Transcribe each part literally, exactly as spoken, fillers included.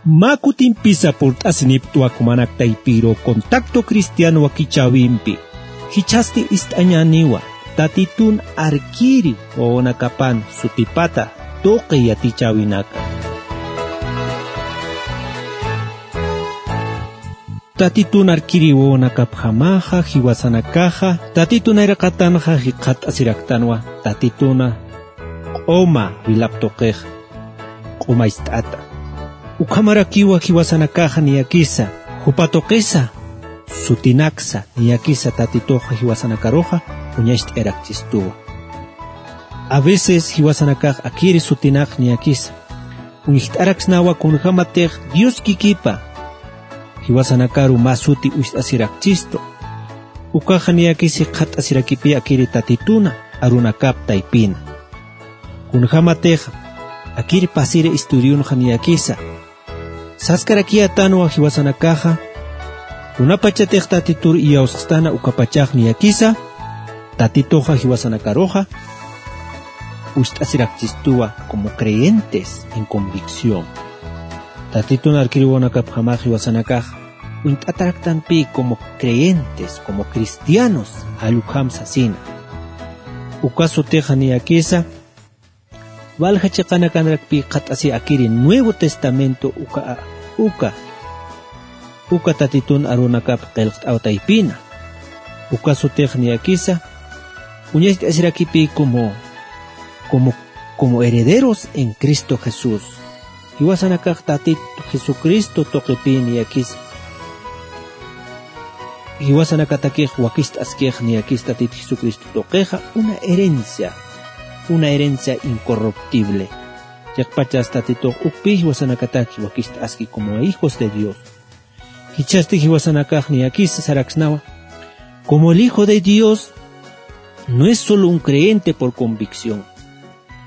Mä kutimpisa purt'asiniptwa jumanak taypiru Contacto Cristiano wakichäwimpi. Jichhasti ist'añäniwa, Tatitun arkiri wawanakapan sutipata tuqi yatichäwinaka. Tatitun arkiri wawanakapjamaxa, jiwasanakaxa, Tatitun nayraqatanxa jikxatasiraktanwa, Tatituna q'uma wilap tuqix q'umayst'ata. Ukhamarakiwa jiwasanakaxa niyakisa, jupa tuqisa sutinaksa niyakisa Tatituxa jiwasanakaruxa uñacht'ayarakchistuwa. A veces jiwasanakax akiri sutinak niyakisa uñjt'araksnawa kunjämatix Dios kikipa jiwasanakaru mä suti uñjt'asirakchistu. Ukaxa niyakisa jikxatasirakipï akiri Tatituna arunakap taypina. Kunjämatix akiri pasiri estudiunxa niyakisa saskarakiyätanwa jiwasanakaxa, kunapachatix Tatitur iyawsxstana ukapachax niyakisa, Tatituxa jiwasanakaruxa uñjt'asirakchistuwa como creyentes en convicción. Tatitun arkiri wawanakapjamax jiwasanakax uñt'ataraktanpï como creyentes, como cristianos, jall ukham sasina. Uka sutixa niyakisa, walja chiqanakanrakpï jikxatasi akiri Nuevo Testamento uka, uka, uka Tatitun arunakap qillqt'aw taypina. Uka sutix niyakisa, uñacht'asirakipï como, como, como herederos en Cristo Jesús. Jiwasanakax Tatit Jesucristo tuqipï niyakisa. Jiwasanakatakix wakicht'askix niyakis Tatit Jesucristo tuqixa una herencia, una herencia incorruptible. Chiqpachas Tatitux ukpï jiwasanakatak wakicht'aski como hijos de Dios. Jichhasti jiwasanakax niyakisa saraksnawa, como el Hijo de Dios no es solo un creyente por convicción.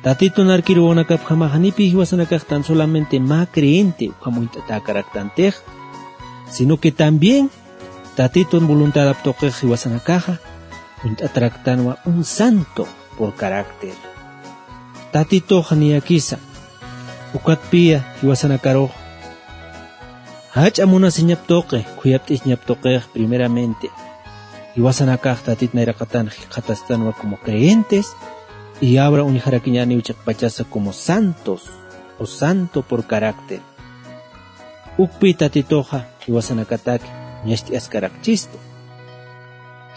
Tatitun arkiri wawanakapjamax janipï jiwasanakax tan solamente mä creyente ukham uñt'atäkaraktantixa, sino que también Tatitun voluntadap tuqix jiwasanakaxa uñt'ataraktanwa un santo por carácter. Tatituxa niyakisa, ukatpï jiwasanakarux jach'a munasiñap tuqi, khuyapt'isiñap tuqix primeramente. Jiwasanakax Tatit nayraqatan jikxatastanwa como creyentes, y ahora uñjarakiñäniw chiqpachasa como santos, o santo por carácter. Ukpï Tatituxa jiwasanakatak ñacht'askarakchistu.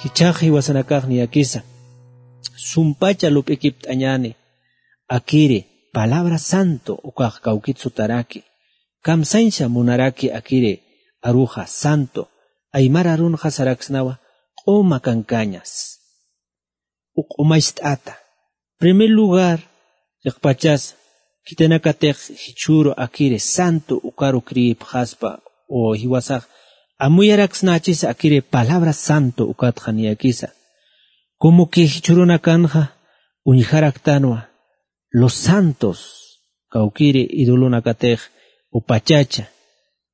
Jichhax jiwasanakax niyakisa, sumpacha lup'ikipt'añäni, akiri palabra santo ukax kawkit sutaraki. Kamsañsa munaraki akiri aruxa santo, aymar arunxa saraksnawa q'uma kankañas. Uka q'umacht'ata. Primer lugar, chiqpachas, khitinakatix jichhüru akiri santo ukaru creepxaspa, o jiwasax amuyaraksnachis akiri palabra santo ukatxa niyakisa. Como que jichhürunakanxa uñjaraktanwa los santos, kawkiri idolonakatix, o pachacha,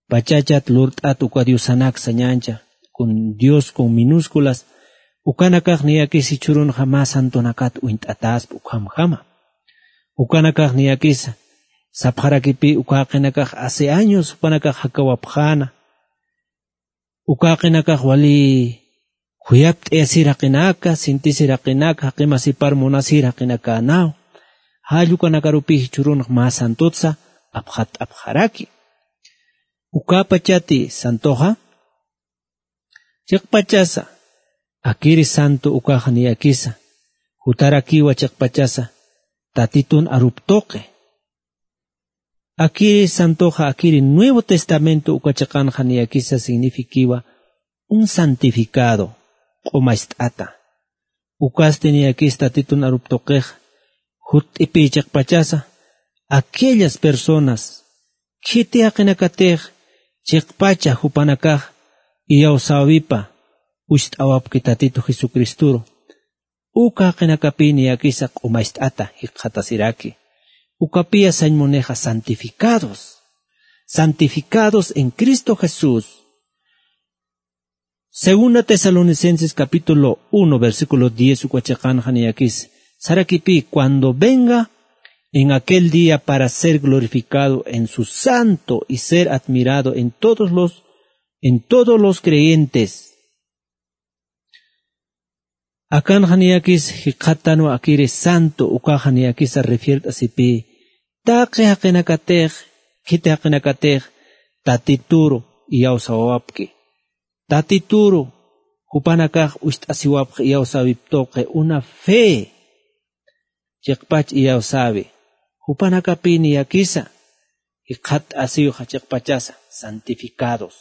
pachachat lurt'at uka diosanak sañancha, con Dios con minúsculas, ukanakax niyakis jichhürunxa mä santonakat uñt'atäspa ukhamjama. Ukanakax niyakisa, sapxarakipï uka jaqinakax hace años jupanakax jakawapxäna, uka jaqinakax wali khuyapt'ayasir jaqinaka, sintisir jaqinaka, jaqi masipar munasir jaqinakänäw. Jall ukanakarupï jichhürunx mä santotsa apxatt'apxaraki. Ukapachati santoxa, chiqpachasa, akiri santo ukaxa niyakisa, jutarakiwa chiqpachasa, Tatitun arup tuqi. Akiri santoxa, akiri Nuevo Testamento uka chiqanxa niyakisa signifikiwa un santificado, q'umacht'ata. Ukasti niyakis Tatitun arup tuqix, jutt'ipï chiqpachasa, aquellas personas, khiti jaqinakatix, chiqpacha jupanakax, iyawsäwipa, ucht'awapki Tatitu Jesucristoru. Uka jaqinakapï niyakisa q'umacht'ata jikxatasiraki. Ukapïya sañ munixa santificados. Santificados en Cristo Jesús. Segunda Tesalonicenses capítulo uno, versículo diez, uka chiqanxa niyakis. Sarakipï, cuando venga en aquel día para ser glorificado en su santo y ser admirado en todos los, en todos los creyentes. Akanxa niyakis jikxatanwa akiri santo ukaxa niyakisa refiert'asipï taqi jaqinakatix, khiti jaqinakatix Tatituru iyawsawapki. Tatituru jupanakax ucht'asiwapxi iyawsäwip tuqi una fe chiqpach iyawsäwi. Jupanakapï niyakisa jikxatt'asiwxa chiqpachasa santificados.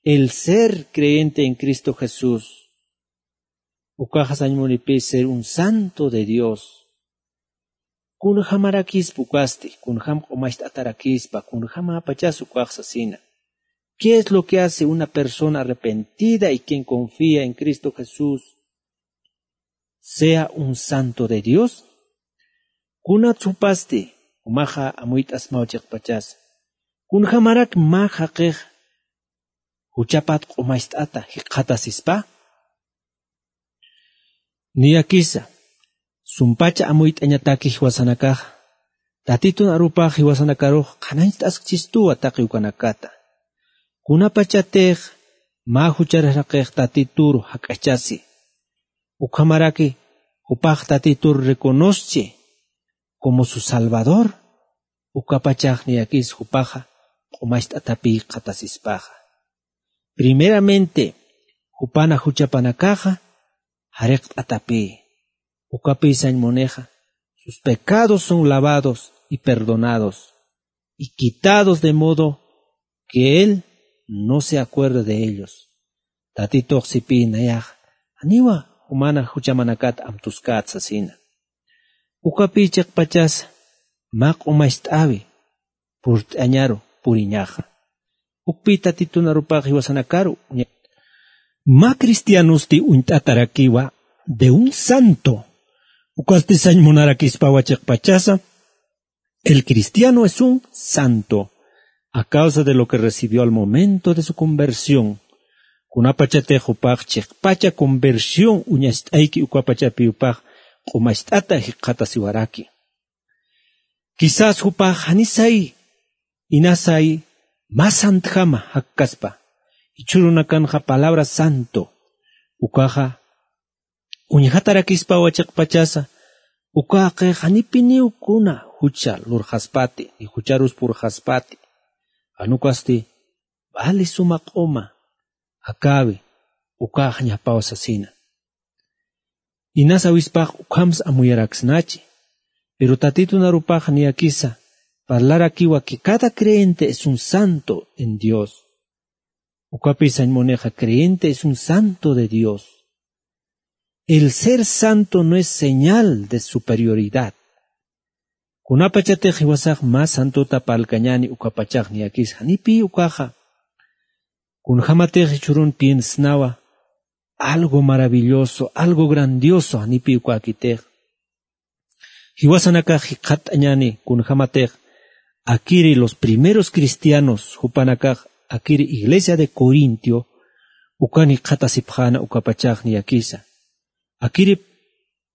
El ser creyente en Cristo Jesús ukaxa sañ munipï ser un santo de Dios. Kunjamarakispa ukasti, kunjam q'umacht'atarakispa, kunjamapachas ukax sasina. ¿Qué es lo que hace una persona arrepentida y quien confía en Cristo Jesús sea un santo de Dios? Kunat supasti umaxa amuyt'asmaw chiqpachas, kunjamarak mä jaqix juchapat q'umacht'ata jikxatasispa? Niyakisa sumpacha amuyt'añataki jiwasanakaxa, Tatitun arupax jiwasanakarux qhanañcht'askchistuwa taqi ukanakata. Kunapachatix mä juchar jaqix Tatitur jak'achasi, ukhamaraki jupax Tatitur reconoschi como su Salvador, ukapachax niyakis jupaxa q'umacht'atapï jikxatasispaxa. Primeramente jupana juchapanakaxa jariqt'atapï. Ukapï sañ munixa sus pecados son lavados y perdonados y quitados, de modo que él no se acuerde de ellos. Tatitux sipï nayax janiwa jumana juchamanakat amtuskät sasina. Ukapï chiqpachas mä q'umacht'äwi purt'añaru puriñaxa. Ukpï Tatitun arupax jiwasanakaru uña-, mä cristianosti uñt'atarakiwa de un santo. Ukasti sañ munarakispawa chiqpachasa, el cristiano es un santo a causa de lo que recibió al momento de su conversión. Kunapachatix jupax chiqpacha conversión uñacht'ayki ukapachapï jupax q'umacht'ata jikxatasiwaraki. Quizás jupax janisay inasay mä santjama jakkaspa. Jichhürunakanxa palabra santo ukaxa uñjatarakispawa chiqpachasa, uka jaqix janipiniw kuna jucha lurxaspati ni jucharus purxaspati. Jan ukasti vali suma q'uma akäwi ukaxañapaw sasina. Inas awispax ukhamsa amuyaraksnachi. Pero Tatitun arupax niyakisa parlarakiwa que cada creyente es un santo en Dios. Ukapï sañ munixa creyente es un santo de Dios. El ser santo no es señal de superioridad. Kunapachatix jiwasax mä santota parlkañäni ukapachax niyakis janipï ukaxa. Kunjamatix jichhürun piensnawa algo maravilloso, algo grandioso janipï ukäkitix. Jiwasanakax jikxatt'añäni kunjamatix akiri los primeros cristianos jupanakax akiri iglesia de Corintio ukan jikxatasipxäna ukapachax niyakisa. Akiri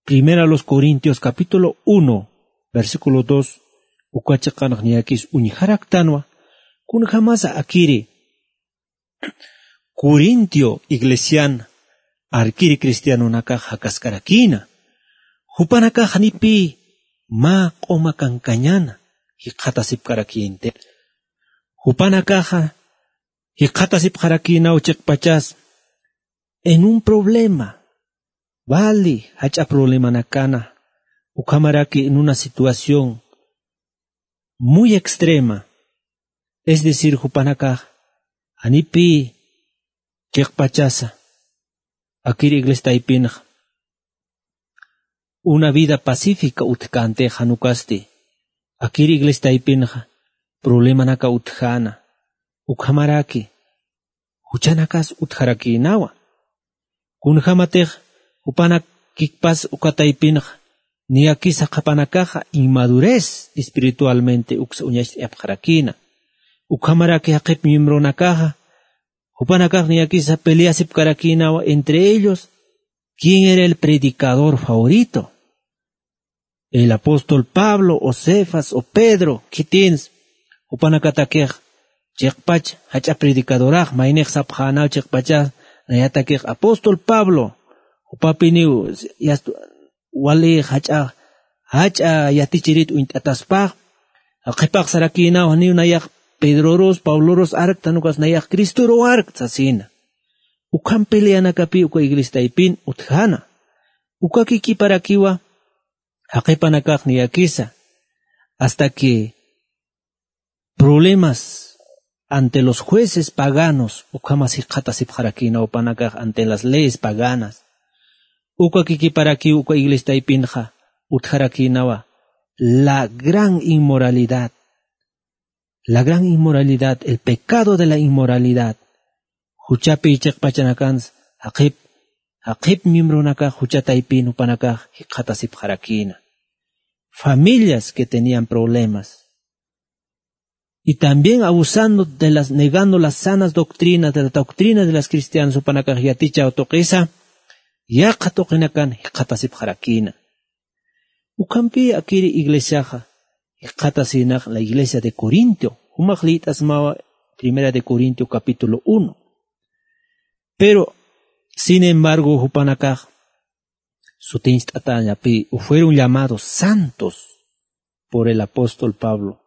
Primera los Corintios capítulo uno, versículo dos, uka chiqanx niyakis uñjaraktanwa, kunjamasa akiri Corintio iglesian arkiri cristianonakax jakaskarakïna. Jupanakax janipï mä q'uma kankañäna jikxatasipkarakïnti. Jupanakaxa jikxatasipxarakïnaw chiqpachas en un problema, vali jach'a problemanakana, ukhamaraki en una situación muy extrema, es decir, jupanakax janipï chiqpachasa akir iglesia taypinxa una vida pacífica utjkänti, jan ukasti akir iglesia taypinxa problemanaka utjäna, ukhamaraki juchanakas utjarakïnawa. Kunjamatix jupanakikpas uka taypinxa niyakisa qhapanakaxa inmadurez espiritualmente uksa uñacht'ayapxarakïna. Ukhamaraki jaqip miembronakaxa jupanakax niyakisa peleasipkarakïnawa entre ellos quién era el predicador favorito. el apóstol Pablo, o Cefas, o Pedro, khitins, jupanakatakix chiqpach jach'a predicadorax, maynix sapxänaw chiqpachas, nayatakix apóstol Pablo, jupapiniw yast-, wali jach'a, jach'a yatichirit uñt'ataspax, qhipax sarakïnaw janiw nayax Pedrorus, Pablorus arkta, jan ukas nayax Cristoruw arkta sasina. Ukham peleanakapï uka iglesia taypin utjäna. Uka kikiparakiwa jaqipanakax niyakisa, hasta que problemas ante los jueces paganos, ukhamas jikxatasipxarakïna jupanakax ante las leyes paganas. Uka kikiparakiw uka iglesia taypinxa utjarakïnawa la gran inmoralidad. La gran inmoralidad, el pecado de la inmoralidad. Juchapï chiqpachanakans jaqip, jaqip miembronakax jucha taypin jupanakax jikxatasipxarakïna. Familias que tenían problemas. Y también abusando de las, negando las sanas doctrinas, de las doctrinas de las cristianas, jupanakax yatichaw tuqisa, yaqha tuqinakan jikxatasipxarakïna. Ukhampï akiri iglesiaxa jikxatasïnax la iglesia de Corinto, jumax liyt'asmawa Primera de Corinto capítulo uno. Pero, sin embargo, jupanakax sutincht'atäñapï, o fueron llamados santos por el apóstol Pablo.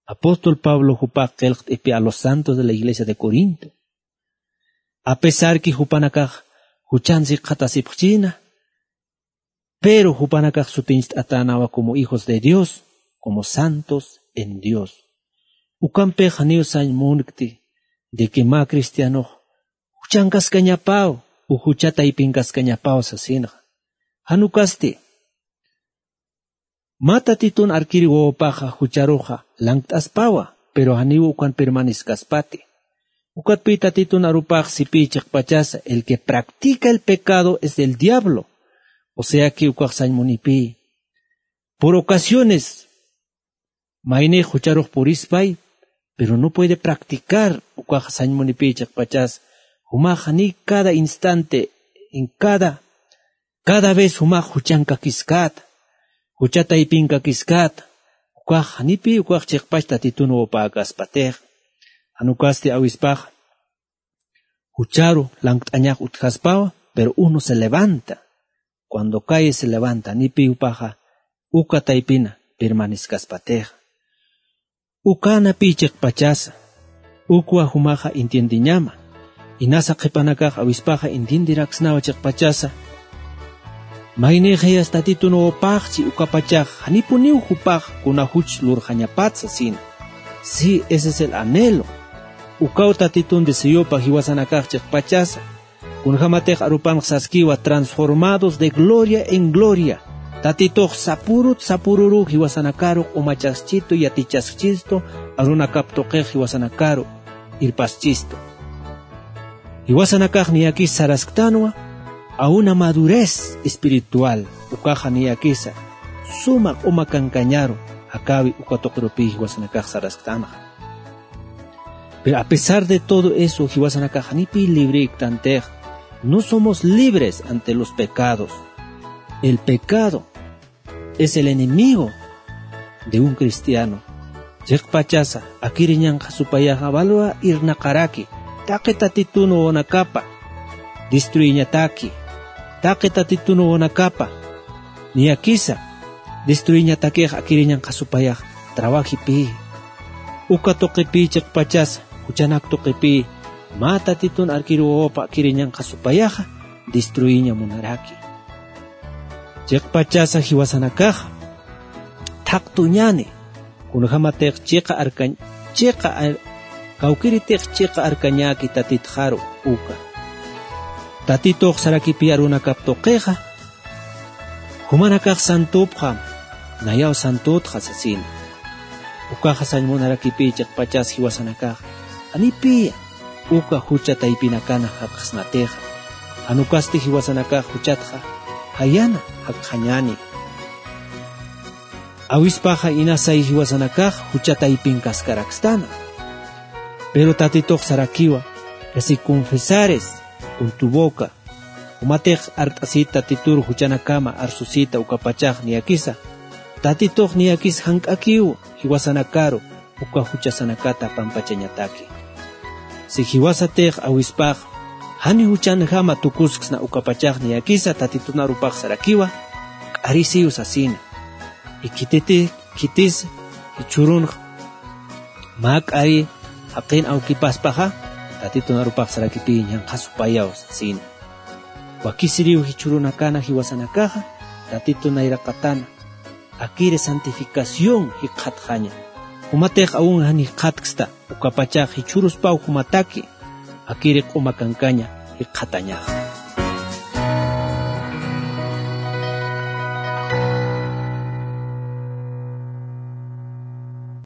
Apóstol Pablo jupax qillqt'ipï a los santos de la iglesia de Corinto. A pesar que jupanakax juchan jikxatasipxchïna, pero jupanakax sutincht'atänawa como hijos de Dios, como santos en Dios. Ukampix janiw sañ munkti de que mä cristianox juchankaskañapaw, o jucha taypinkaskañapaw sasinxa. Jan ukasti, mä Tatitun arkir wawapaxa jucharuxa lankt'aspawa, pero janiw ukan permanezcaspati. Ukatpï Tatitun arupax sipï chiqpachasa, el que practica el pecado es del diablo. O sea que ukax sañ munipï. Por ocasiones, maynix jucharux purispay, pero no puede practicar, ukax sañ munipï chiqpachas, jumax jani cada instante, en cada, cada vez jumax juchankakiskäta, jucha taypinkakiskäta, ukax janipï ukax chiqpach Tatitun wawapäkaspatix. Jan ukasti awispax, jucharu lankt'añax utjaspawa, pero uno se levanta. Cuando cae se levanta, janipï jupaxa uka taypina permanezcaspatix. Ukanapï chiqpachasa, ukwa jumaxa entiendeñama. Inasa qhipanakax awispaxa entienderaksnawa chiqpachasa. Maynixayas Tatitun wawapaxchi ukapachax, janipuniw jupax kuna juch lurxañapat sasina. Sí, ese es el anhelo. Ukaw Tatitun deseopa jiwasanakax chiqpachasa. Kunjamatix arupanx saskiwa transformados de gloria en gloria. Tatitux sapurut sapururu jiwasanakaru q'umachaskistu, yatichaskistu, arunakap tuqix jiwasanakaru irpaskistu. Jiwasanakax niyakis sarasktanwa a una madurez espiritual, ukaxa niyakisa suma q'uma kankañaru, jakäwi uka tuqirupï jiwasanakax sarasktanxa. Pero a pesar de todo eso, jiwasanakax janipï librektantix, no somos libres ante los pecados. El pecado es el enemigo de un cristiano. Chiqpachasa, akiriñanxa supayaxa, walwa irnaqaraki, taqi Tatitun wawanakapa destruiñataki, taqi Tatitun wawanakapa niyakisa destruiñatakix akiriñanxa supayax trabajipï. Uka tuqipï chiqpachasa, juchanak tuqipï, mä Tatitun arkir wawapa akiriñanxa supayaxa destruiña munaraki. Chiqpachasa jiwasanakaxa thaqtuñäni, kunjamatix chiqa arkañ-, chiqa ar-, kawkiritix chiqa arkañäki Tatitxaru uka. Tatitux sarakipï arunakap tuqixa, jumanakax santupxam, nayaw santutxa sasina. Ukaxa sañ munarakipï chiqpachas jiwasanakax, janipï uka jucha taypinakana jakxsnatixa. Jan ukasti jiwasanakax juchatxa jayana jakxañäni. Awispaxa inasay jiwasanakax jucha taypinkaskarakstana. Pero Tatitux sarakiwa, que si confesares con tu boca, jumatix art'asit Tatitur juchanakama arsusit ukapachax niyakisa, Tatitux niyakis jank'akiw jiwasanakaru uka juchasanakata pampachañataki. Si jiwasatix awispax jani juchanjama tukusksna ukapachax niyakisa Tatitunarupax sarakiwa, k'arisiw sasina. Ikhititi khitis jichhürunx mä k'ari jaqin awkipaspaxa, Tatitunarupax sarakipiy ñanqha supayaw sasina. Wakisiriw jichhürunakana jiwasanakaxa Tatitu nayraqatana, akiri santificación jikxatxaña. Jumatix awun jan jikxatksta, ukapachax jichhüruspaw jumataki akiri q'uma kankaña jikxatañaxa.